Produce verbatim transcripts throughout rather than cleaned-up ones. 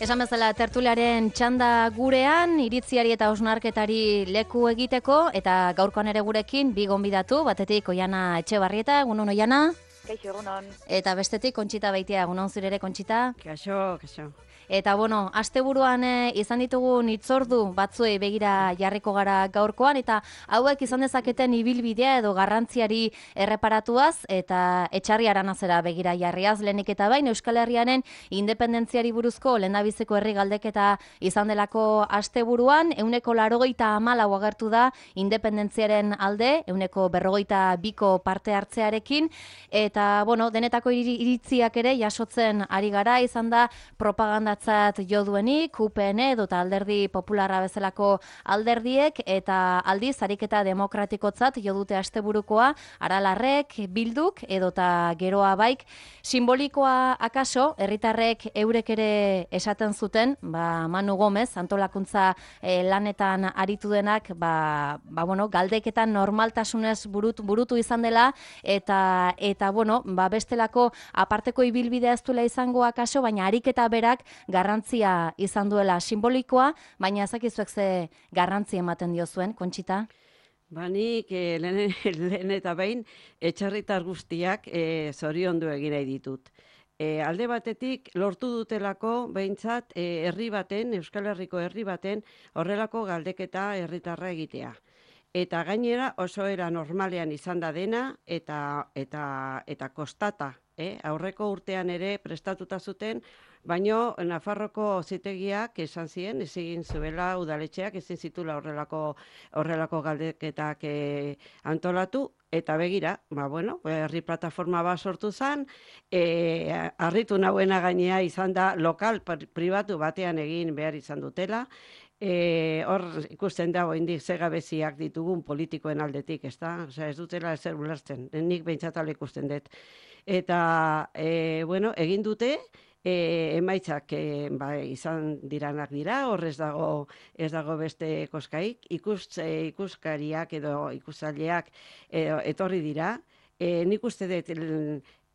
Esan bezala tertuliaren txanda gurean, iritziari eta hausnarketari leku egiteko, eta gaurkoan ere gurekin bi gonbidatu, batetik Oiana Etxebarrieta, egunon Oiana. Kaixo, egunon. Eta bestetik Kontxita Beitia, egunon zure ere Kontxita. Kaixo, kaixo. Eta bueno, asteburuan e, izan ditugun hitzordu batzuei begira jarriko gara gaurkoan, eta hauek izan dezaketen ibilbidea edo garrantziari erreparatuaz eta etxarri aranazera begira jarriaz. Lehenik eta bain Euskal Herriaren independentziari buruzko lehendabiziko herri galdeketa izan delako asteburuan, ehuneko laurogeita hamalau agertu da independentziaren alde, ehuneko berrogeita biko parte hartzearekin, eta bueno, denetako iritziak ere jasotzen ari gara, izan da propaganda jo duenik, U P N edo eta alderdi popularra bezalako alderdiek, eta aldiz ariketa demokratikotzat jo dute asteburukoa, Aralarrek, Bilduk edo eta Geroa Baik. Simbolikoa akaso, herritarrek eurek ere esaten zuten, ba, Manu Gomez, antolakuntza eh, lanetan aritu denak, ba, ba, bueno, galdeketan normaltasunez burutu, burutu izan dela, eta, eta bueno, ba, bestelako aparteko ibilbidea ez duela izango akaso, baina ariketa berak garrantzia izan duela simbolikoa, baina ezakizuek ze garrantzi ematen diozuen, Kontxita? Ba, nik eh, lehen, lehen eta behin etxarritar guztiak eh, zoriondu egin nahi ditut. E, alde batetik lortu dutelako behintzat e, herri baten, Euskal Herriko herri baten horrelako galdeketa herritarra egitea. Eta gainera oso era normalean izan da dena eta eta eta kostata, eh? Aurreko urtean ere prestatuta zuten, baino Nafarroko auzitegiak esan zien, ez egin zuela udaletxeak ezin zitula horrelako horrelako galdeketak e, antolatu. Eta begira, ba, bueno, herri plataforma bat sortu zen, e, harritu nauena gainea izan da lokal pribatu batean egin behar izan dutela. E, hor ikusten da oraindik ze gabeziak ditugun politikoen aldetik, ezta? Osea, ez dutela ezer ulertzen, nik behintzat hala ikusten dut. Eta, e, bueno, egin dute, E, emaitzak e, ba, izan diranak dira, hor ez dago, ez dago beste koskaik, ikus, e, ikuskariak edo ikusalleak e, etorri dira. E, nik uste dut,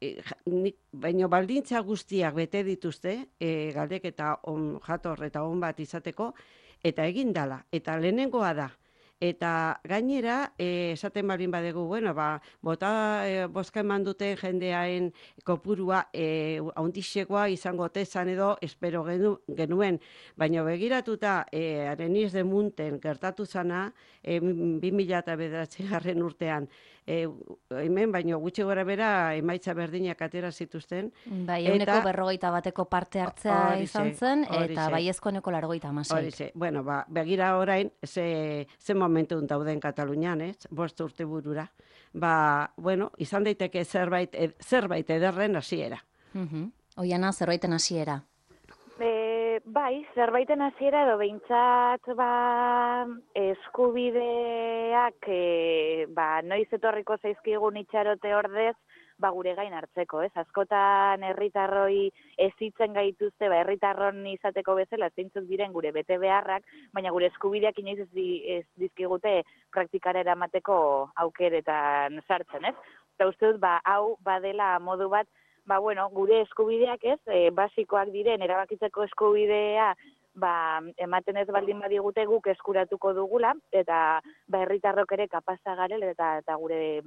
e, nik, baino baldintza guztiak bete dituzte, e, galdeketa on jator eta on bat izateko, eta egin dala, eta lehenengoa da. Eta gainera, eh, esaten baldin badegu, bueno, ba, bota eh, bozka eman duten jendeaen kopurua eh, haundixekoa izango tezan edo espero genu, genuen, baina begiratuta eh, Areniz de Munten gertatu zana, eh, bi mila bederatzigarren urtean, eh, hemen baino gutxi gora bera emaitza berdinak atera zituzten. Bai, ehuneko berrogeita bateko parte hartzea Horixe, izan zen, horixe. eta baiezko ehuneko laurogeita hamasei. Horixe, bueno, ba, begira orain, ze, ze momentu dauden Katalunian, ez? Bost urte burura. Ba, bueno, izan daiteke zerbait, ed, zerbait ederren hasiera. Uh-huh. Oiana, zerbaiten hasiera. E, bai, zerbaiten hasiera edo behintzat ba, eskubideak e, ba, noiz etorriko zaizkigun itxarote ordez, ba, gure gain hartzeko, ez? Askotan herritarroi ezitzen gaituzte, ba, herritarron izateko bezala, zeintzuk diren gure bete beharrak, baina gure eskubideak inoiz ez, di, ez dizkigute praktikara eramateko aukeretan sartzen, ez? Eta uste dut, ba, hau badela modu bat, ba, bueno, gure eskubideak ez, e, basikoak diren, erabakitzeko eskubidea, ba, ematen ez baldin badigute guk eskuratuko dugula, eta ba, herritarrok ere kapasa garela eta, eta gure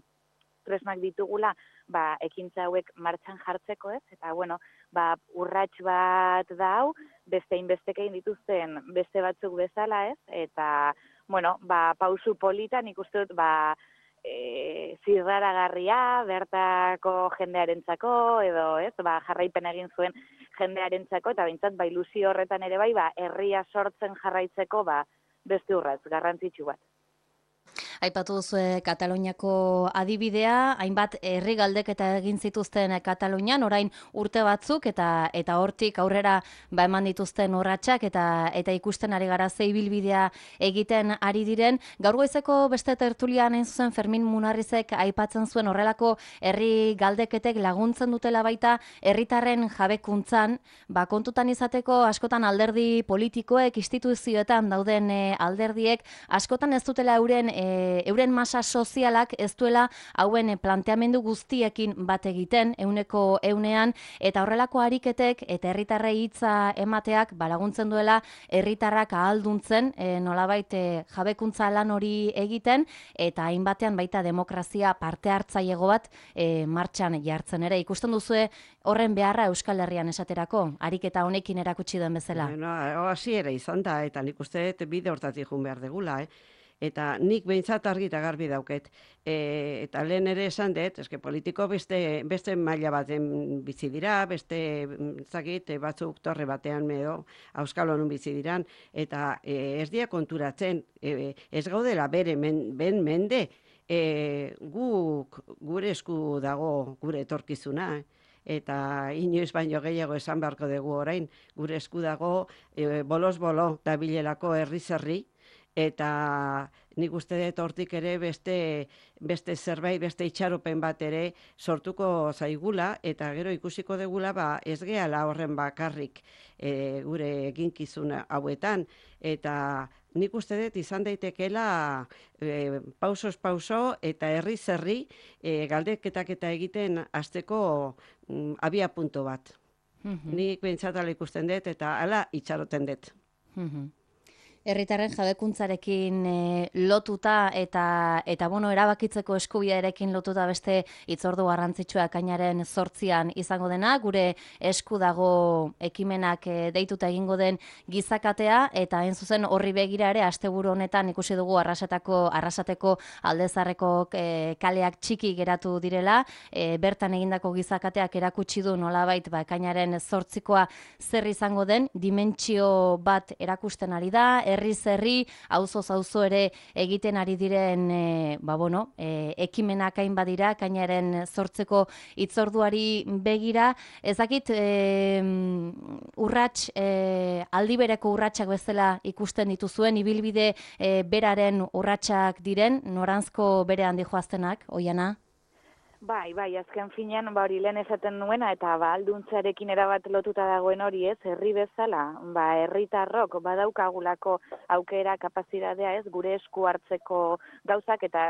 tresnak ditugula, ba, ekintza hauek martxan jartzeko ez, eta bueno, ba, urrats bat da hau, beste inbestekein dituzten beste batzuk bezala ez, eta bueno, ba, pausu politan ikusten dut, ba, e, zirraragarria, bertako jendearentzako, edo ez, ba, jarraipen egin zuen jendearentzako, eta behintzat, ba, ilusio horretan ere bai, ba, herria sortzen jarraitzeko, ba, beste urratz, garrantzitsu bat. Aipatu duzue Kataluniako adibidea, hainbat herri galdeketa egin zituzten Katalunian, orain urte batzuk eta eta hortik aurrera ba eman dituzten urratsak eta eta ikusten ari gara ze ibilbidea egiten ari diren. Gaur goizeko beste tertulian hain zuzen Fermin Munarrizek aipatzen zuen horrelako herri galdeketek laguntzen dutela baita herritarren jabekuntzan, ba kontutan izateko askotan alderdi politikoek, instituzioetan dauden e, alderdiek askotan ez dutela euren e, e, euren masa sozialak ez duela hauen e, planteamendu guztiekin bat egiten, euneko eunean, eta horrelako ariketek eta herritarrei hitza emateak balaguntzen duela herritarrak ahalduntzen, e, nolabait e, jabekuntza lan hori egiten, eta hainbatean baita demokrazia parte hartzailego bat e, martxan jartzen ere. Ikusten duzue horren beharra Euskal Herrian esaterako, ariketa honekin erakutsi den bezala. Bueno, hasi ere izan da, eta nik uste dut bide hortatik jun behar degula, eh? Eta nik behintzat argi eta garbi dauket. E, eta lehen ere esan dut, eske politiko beste, beste maila baten bizi dira, beste zakit, batzuk torre batean edo Euskal Honun bizi diran, eta e, ez dia konturatzen, e, ez gaudela bere men, ben mende, e, guk gure esku dago gure etorkizuna, eta inoiz baino gehiago esan beharko dugu orain, gure esku dago e, bolos bolo dabilelako herriz herri, eta nik uste dut hortik ere beste, beste zerbait, beste itxaropen bat ere sortuko zaigula, eta gero ikusiko degula ba, ez gehala horren bakarrik e, gure eginkizuna hauetan, eta nik uste dut izan daitekela e, pausos pauso eta herri zerri e, galdeketak eta egiten hasteko mm, abia punto bat. Mm-hmm. Nik behintzatala ikusten dut eta hala itxaroten dut. Mm-hmm. Herritarren jabekuntzarekin e, lotuta eta eta bueno, erabakitzeko eskubidearekin lotuta beste hitzordu garrantzitsua ekainaren zortzian izango dena, gure esku dago ekimenak e, deituta egingo den gizakatea, eta hain zuzen horri begira ere asteburu honetan ikusi dugu Arrasateko Arrasateko Aldezarreko e, kaleak txiki geratu direla, e, bertan egindako gizakateak erakutsi du nolabait ba ekainaren zortzikoa zer izango den, dimentsio bat erakusten ari da, herriz herri, auzoz auzo ere egiten ari diren e, ba bueno, e, ekimenak hain badira, kainaren zortzeko hitzorduari begira, ezakit e, urrats, e, aldibereko urratsak bezala ikusten dituzuen, ibilbide e, beraren urratsak diren, noranzko bere handi joaztenak, Oiana? Bai, bai, azken finean, ba hori lehen esaten nuena, eta ba alduntzarekin erabat lotuta dagoen hori, ez, herri bezala, ba herritarrok badaukagulako aukera, kapazitatea, ez, gure esku hartzeko gauzak, eta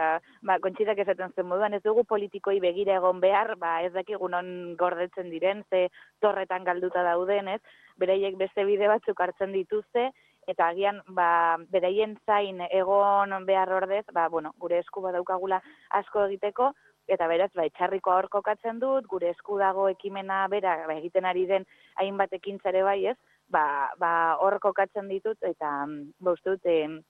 ba Kontxitak esaten zen moduan, ez dugu politikoi begira egon behar, ba ez dakigu non gordetzen diren, ze torretan galduta dauden, ez, beraiek beste bide batzuk hartzen dituzte, eta agian ba beraien zain egon behar ordez, ba bueno, gure esku badaukagula asko egiteko. Eta beraz, ba, etxarriko hor kokatzen dut, gure esku dago ekimena bera ba, egiten ari den hainbat ekintzare bai, ez? Ba, ba hor kokatzen ditut, eta ba, uste dut, e,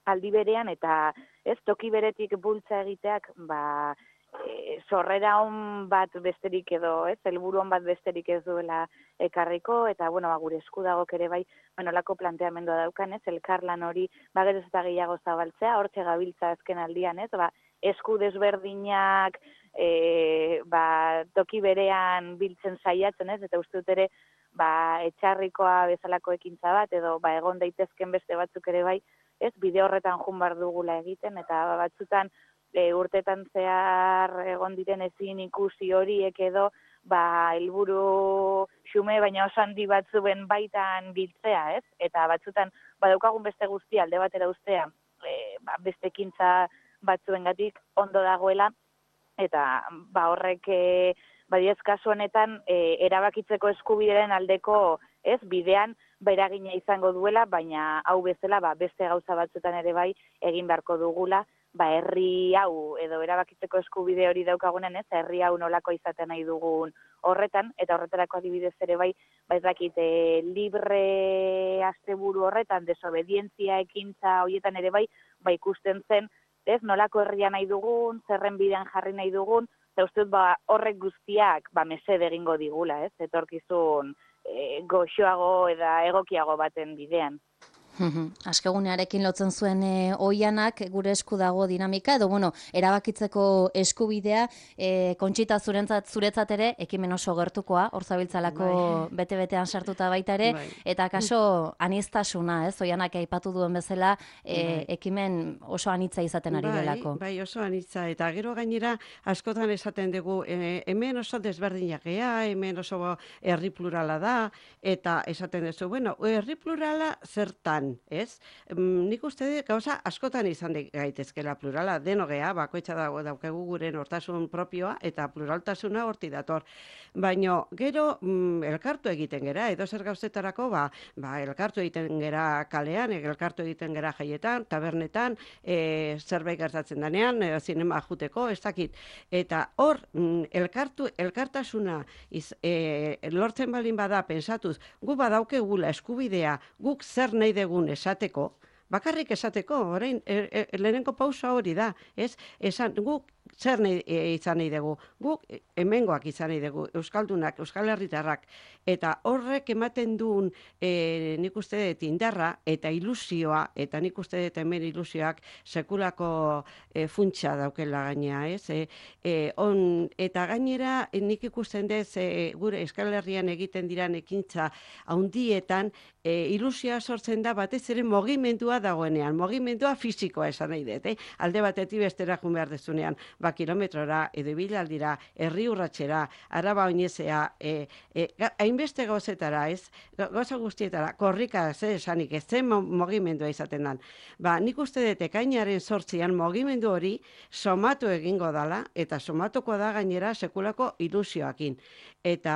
aldi berean, eta ez toki beretik bultza egiteak, ba, e, sorrera on bat besterik edo, ez? Helburu on bat besterik ez duela ekarriko, eta bueno, ba, gure esku dago ere bai, nolako planteamendua daukan, ez? Elkarlan hori, ba, geroz eta gehiago zabaltzea, hortxe gabiltza azken aldian, ez? Ba, esku desberdinak e, ba, toki berean biltzen saiatzen, ez, eta uste dut ere ba, etxarrikoa bezalako ekintza bat, edo ba, egon daitezken beste batzuk ere bai, ez, bide horretan jun bar dugula egiten, eta ba, batzutan e, urtetan zehar egon diren ezin ikusi horiek edo, ba, helburu xume, baina oso handi batzuen baitan biltzea, ez, eta batzutan badaukagun beste guztia alde batera ustea, e, ba, beste ekintza batzuengatik ondo dagoela, eta ba horrek e, badiez kasu honetan e, erabakitzeko eskubideen aldeko, ez, bidean beragina izango duela, baina hau bezala ba, beste gauza batzuetan ere bai egin beharko dugula, ba herri hau edo erabakitzeko eskubide hori daukagunen, ez, herri hau nolako izaten nahi dugun horretan, eta horretarako adibidez ere bai, ba ez dakit, e, libre asteburu horretan, desobedientzia ekintza horietan ere bai, ba ikusten zen, ez, nolako herria nahi dugun, zerren bidean jarri nahi dugun, eta uste dut ba, horrek guztiak ba, mesede egingo digula, ez, etorkizun e, goxoago eta egokiago baten bidean. Askegunearekin lotzen zuen e, Oianak, gure esku dago dinamika, edo bueno, erabakitzeko eskubidea, e, Kontxita zuretzat, zuretzat ere, ekimen oso gertukoa, hor zabiltzalako bai. Bete-betean sartuta baita ere, bai. Eta kaso aniztasuna, ez, Oianak aipatu duen bezala, e, bai. Ekimen oso anitza izaten ari delako. Bai, bai, oso anitza, eta gero gainera, askotan esaten dugu, e, hemen oso desberdinak gea, hemen oso herri plurala da, eta esaten duzu, bueno, herri plurala zertan, pluralean, ez? Mm, nik uste dut gauza askotan izan gaitezkela plurala, denogea, bakoitza dago daukegu gure nortasun propioa eta pluraltasuna horti dator. Baina gero mm, elkartu egiten gera, edo zer gauzetarako, ba, ba elkartu egiten gera kalean, elkartu egiten gera jaietan, tabernetan, e, zerbait gertatzen danean, e, zinema juteko, ez dakit. Eta hor, mm, elkartu, elkartasuna iz, e, lortzen balin bada pensatuz, gu badaukegula eskubidea, guk zer nahi degun esateko, bakarrik esateko, orain, e, e, lehenengo pausa hori da, ez? Esan, guk zer nahi, e, izan nahi dugu, guk hemengoak izan nahi dugu, euskaldunak, euskal herritarrak, eta horrek ematen duen e, nik uste dut indarra eta ilusioa, eta nik uste dut hemen ilusioak sekulako e, funtsa daukela gainea, ez? E, e, on, eta gainera nik ikusten dez e, gure euskal herrian egiten diran ekintza haundietan, e, ilusioa sortzen da batez ere mogimendua dagoenean, mogimendua fisikoa esan nahi dut, eh? Alde batetik bestera jun behar dezunean, ba kilometrora, edo bilaldira, herri urratxera, araba oinezea, e, e, hainbeste gauzetara, ez, gauza guztietara, korrika, ze esanik, ez zen mogimendua izaten dan. Ba, nik uste dut ekainaren sortzian mogimendu hori somatu egingo dala, eta somatuko da gainera sekulako ilusioakin. Eta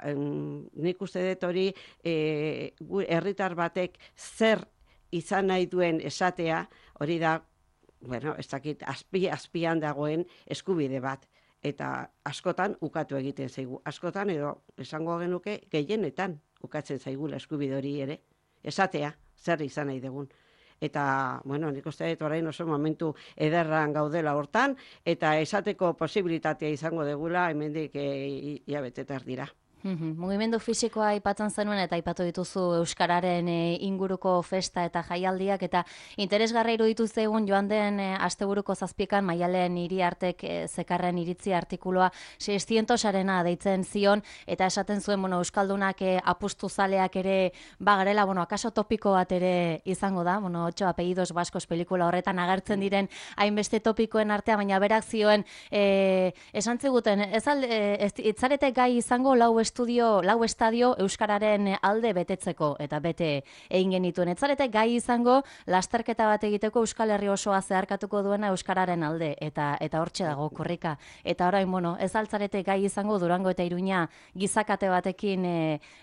em, nik uste dut hori e, herritar batek zer izan nahi duen esatea, hori da, bueno, ez dakit, azpi, azpian dagoen eskubide bat. Eta askotan ukatu egiten zaigu. Askotan edo esango genuke gehienetan ukatzen zaigula eskubide hori ere. Esatea, zer izan nahi dugun. Eta, bueno, nik uste dut orain oso momentu ederran gaudela hortan, eta esateko posibilitatea izango degula hemendik e, iabetetar dira. Mugimendu fisikoa aipatzen zenuen eta aipatu dituzu euskararen e, inguruko festa eta jaialdiak eta interesgarra iruditu zaigun joan den e, asteburuko zazpikan Maialen Iriartek e, zekarren iritzi artikuloa seiscientosarena deitzen zion eta esaten zuen, bueno, euskaldunak e, apustu zaleak ere bagarela, bueno, akaso topiko bat ere izango da, bueno, ocho apellidos vascos pelikula horretan agertzen diren hainbeste topikoen artea, baina berak zioen e, esan ziguten, ez alde, ez, itzarete gai izango lau estudio, lau estadio euskararen alde betetzeko eta bete egin genituen. Etzarete gai izango lasterketa bat egiteko Euskal Herri osoa zeharkatuko duena euskararen alde eta eta hortxe dago korrika. Eta orain, bueno, ez altzarete gai izango Durango eta Iruña gizakate batekin e,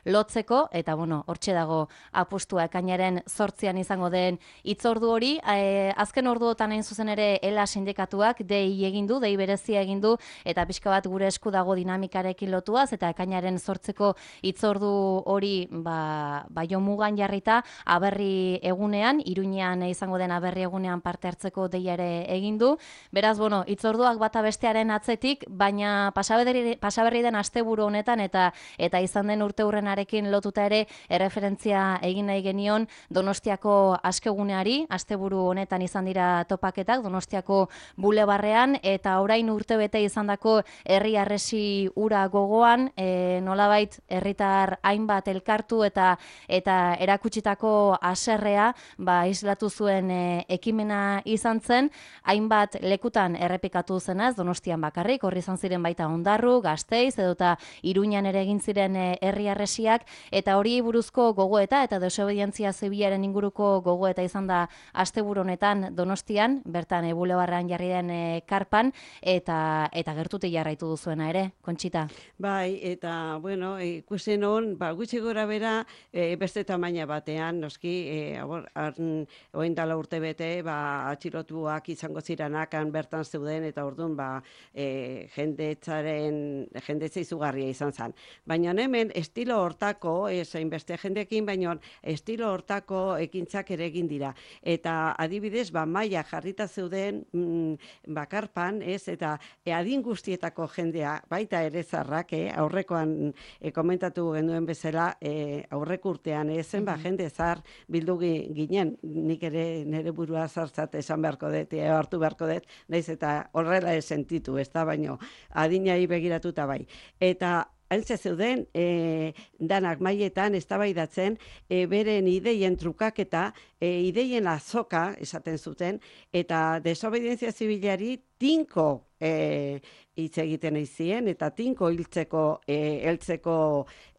lotzeko eta bueno, hortxe dago apustua ekainaren zortzian izango den hitzordu hori. E, azken orduotan hain zuzen ere ELA sindikatuak dei egin du, dei berezia egin du eta pixka bat gure esku dago dinamikarekin lotuaz eta ekainaren sortzeko hitzordu hori ba, ba jomugan jarrita aberri egunean, Iruñean izango den aberri egunean parte hartzeko deia ere egin du. Beraz, bueno, hitzorduak bata bestearen atzetik, baina pasaberri, pasaberri den asteburu honetan eta eta izan den urteurrenarekin lotuta ere erreferentzia egin nahi genion Donostiako askeguneari, asteburu honetan izan dira topaketak Donostiako bulebarrean eta orain urtebete izandako herri harresi ura gogoan, e, nolabait herritar hainbat elkartu eta eta erakutsitako haserrea ba islatu zuen e, ekimena izan zen, hainbat lekutan errepikatu zenaz, Donostian bakarrik, horri izan ziren baita Ondarru, Gasteiz edota Iruñan ere egin ziren herri harresiak eta hori buruzko gogoeta eta desobedientzia zibilaren inguruko gogoeta izan da asteburu honetan Donostian, bertan e, bulebarrean jarri den e, karpan eta eta gertutik jarraitu duzuena ere, Kontxita. Bai, eta bueno, ikusten hon, ba, gutxi gora bera, e, beste tamaina batean, noski, e, oin dala urte bete, ba, atxilotuak izango ziranak bertan zeuden, eta orduan, ba, e, jendetzaren, jendetza izugarria izan zen. Baina hemen, estilo hortako, ezain beste jendekin, baina estilo hortako ekintzak ere egin dira. Eta adibidez, ba, maia jarrita zeuden mm, bakarpan, ez, eta e, adin guztietako jendea, baita ere zarrak, eh, aurrekoan e, komentatu genuen bezala, e, aurreko urtean ezen, ba, jende zar bildu ginen, nik ere nire burua zartzat esan beharko dut, e, hartu beharko dut, naiz eta horrela ez sentitu, ez da, baino, adinai begiratuta bai. Eta Haintze zeuden, e, danak maietan eztabaidatzen e, beren ideien trukaketa, e, ideien azoka esaten zuten, eta desobedientzia zibilari tinko e, hitz egiten izien, eta tinko hiltzeko, e, heltzeko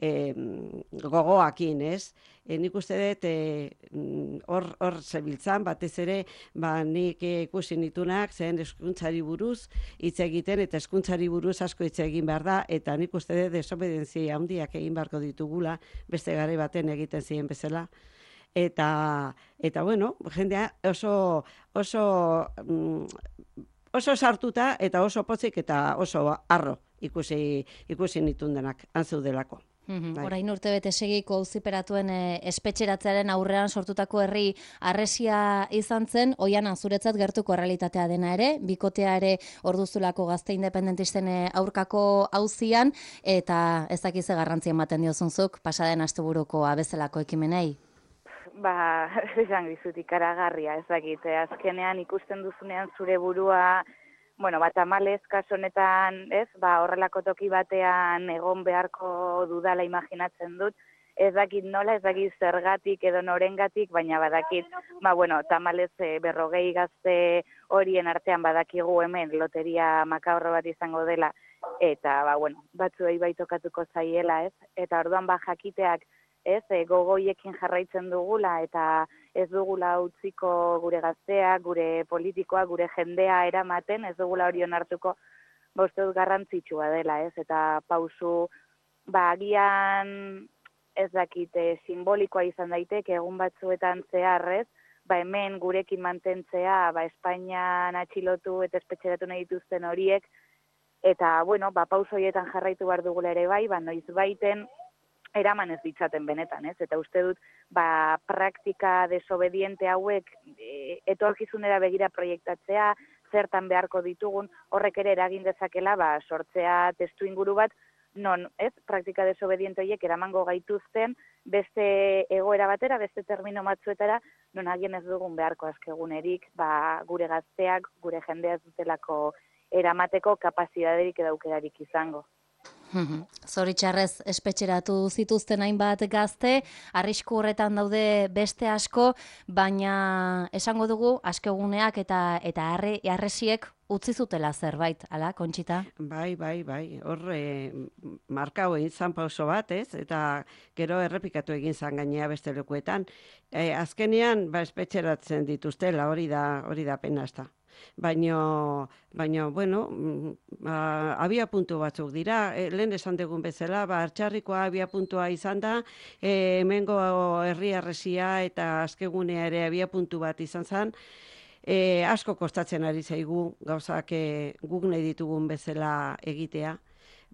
e, gogoakin, ez? E, nik uste dut hor e, hor zebiltzan, batez ere, ba, nik ikusi nitunak, zen hezkuntzari buruz hitz egiten, eta hezkuntzari buruz asko hitz egin behar da, eta nik uste dut desobedientzia handiak egin beharko ditugula, beste garai baten egiten ziren bezala. Eta, eta bueno, jendea oso, oso, oso sartuta eta oso pozik eta oso harro ikusi, ikusi nitun denak, antzeudelako. Mm-hmm. Orain urte bete segiko auziperatuen e, espetxeratzearen aurrean sortutako herri harresia izan zen, oian zuretzat gertuko errealitatea dena ere, bikotea ere orduzulako gazte independentisten aurkako auzian, eta ez dakize garrantzia ematen diozunzuk, pasaden asteburuko abezalako ekimenei? Ba, esan dizut ikaragarria, ez dakite, azkenean ikusten duzunean zure burua, bueno, bat tamalez, kaso honetan, ez, ba, horrelako toki batean egon beharko dudala imaginatzen dut, ez dakit nola, ez dakit zergatik edo norengatik, baina badakit, ba, bueno, tamalez e, berrogei gazte horien artean badakigu hemen loteria makabrro bat izango dela, eta, ba, bueno, batzuei baitokatuko zaiela, ez, eta orduan ba jakiteak, ez, e, gogoiekin jarraitzen dugula, eta ez dugula utziko gure gazteak, gure politikoa, gure jendea eramaten, ez dugula hori onartuko, uste dut garrantzitsua dela, ez, eta pausu, ba, agian ez dakite simbolikoa izan daiteke egun batzuetan zeharrez, ba, hemen gurekin mantentzea, ba, Espainian atxilotu eta espetxeratu nahi dituzten horiek, eta, bueno, ba, pauso horietan jarraitu behar dugula ere bai, ba, noiz baiten, eraman ez ditzaten benetan, ez? Eta uste dut, ba, praktika desobediente hauek e, etorkizunera begira proiektatzea, zertan beharko ditugun, horrek ere eragin dezakela, ba, sortzea testu inguru bat, non, ez? Praktika desobediente horiek eramango gaituzten, beste egoera batera, beste termino batzuetara, non agien ez dugun beharko azkegunerik, ba, gure gazteak, gure jendea ez dutelako eramateko kapazidaderik edo aukerarik izango. Zoritxarrez espetxeratu zituzten hainbat gazte, arrisku horretan daude beste asko, baina esango dugu askeguneak eta eta harresiek utzi zutela zerbait, ala, Kontxita? Bai, bai, bai, hor e, markau egin zan pauso bat, ez? Eta gero errepikatu egin zan gainea beste lekuetan. E, azkenean, ba, espetxeratzen dituztela, hori da, hori da pena ezta. Baina, baina, bueno, ba, abia puntu batzuk dira, e, lehen esan dugun bezala, ba, Artxarrikoa abia puntua izan da, e, hemengo herri harresia eta azkegunea ere abia puntu bat izan zen, e, asko kostatzen ari zaigu gauzak e, guk nahi ditugun bezala egitea,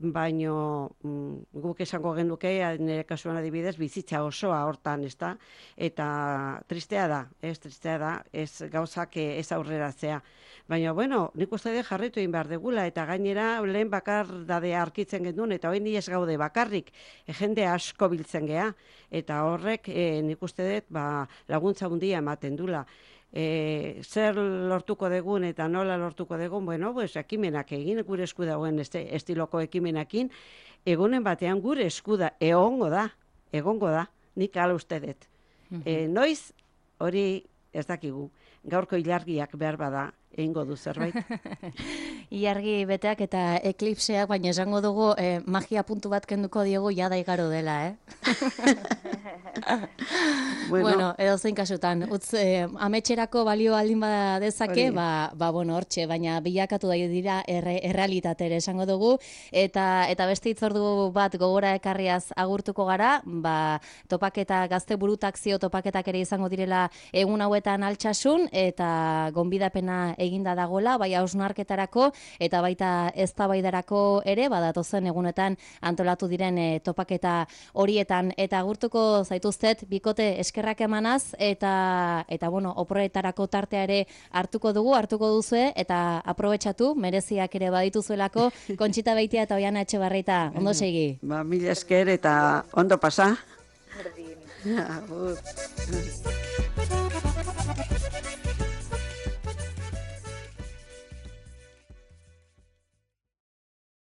baino mm, guk esango genuke, nire kasuan adibidez, bizitza osoa hortan, ezta? Eta tristea da, ez tristea da, ez gauzak ez aurreratzea. Baina, bueno, nik uste dut jarraitu egin behar degula, eta gainera lehen bakardadea arkitzen gendun, eta hori ez gaude bakarrik, e, jende asko biltzen gea, eta horrek e, nik uste dut ba, laguntza handia ematen dula. E, zer lortuko degun eta nola lortuko degun, bueno, pues, ekimenak egin, gure esku dagoen este, estiloko ekimenakin, egunen batean gure eskuda egongo da, egongo da, nik ala uste dut. E, noiz, hori ez dakigu, gaurko ilargiak behar bada, egingo du zerbait. Ilargi beteak eta eklipseak, baina esango dugu eh, magia puntu bat kenduko diogu jada igaro dela, eh? bueno, bueno edo zein kasutan, utz eh, ametxerako balio aldin bada dezake, ba, ba bueno, hortxe, baina bilakatu da dira erre, errealitate ere esango dugu, eta eta beste hitzordu bat gogora ekarriaz agurtuko gara, ba, topaketa gazte burutakzio topaketak ere izango direla egun hauetan altxasun, eta gonbidapena eginda dagola, bai hausnarketarako eta baita eztabaidarako ere, badatozen egunetan antolatu diren e, topaketa horietan, eta agurtuko zaituztet bikote eskerrak emanaz, eta eta bueno, oporretarako tartea ere hartuko dugu, hartuko duzue, eta aprobetxatu, mereziak ere badituzuelako, Kontxita Beitia eta Oiana Etxebarrieta, ondo segi. Ba, mila esker eta ondo pasa. Berdin. Agur.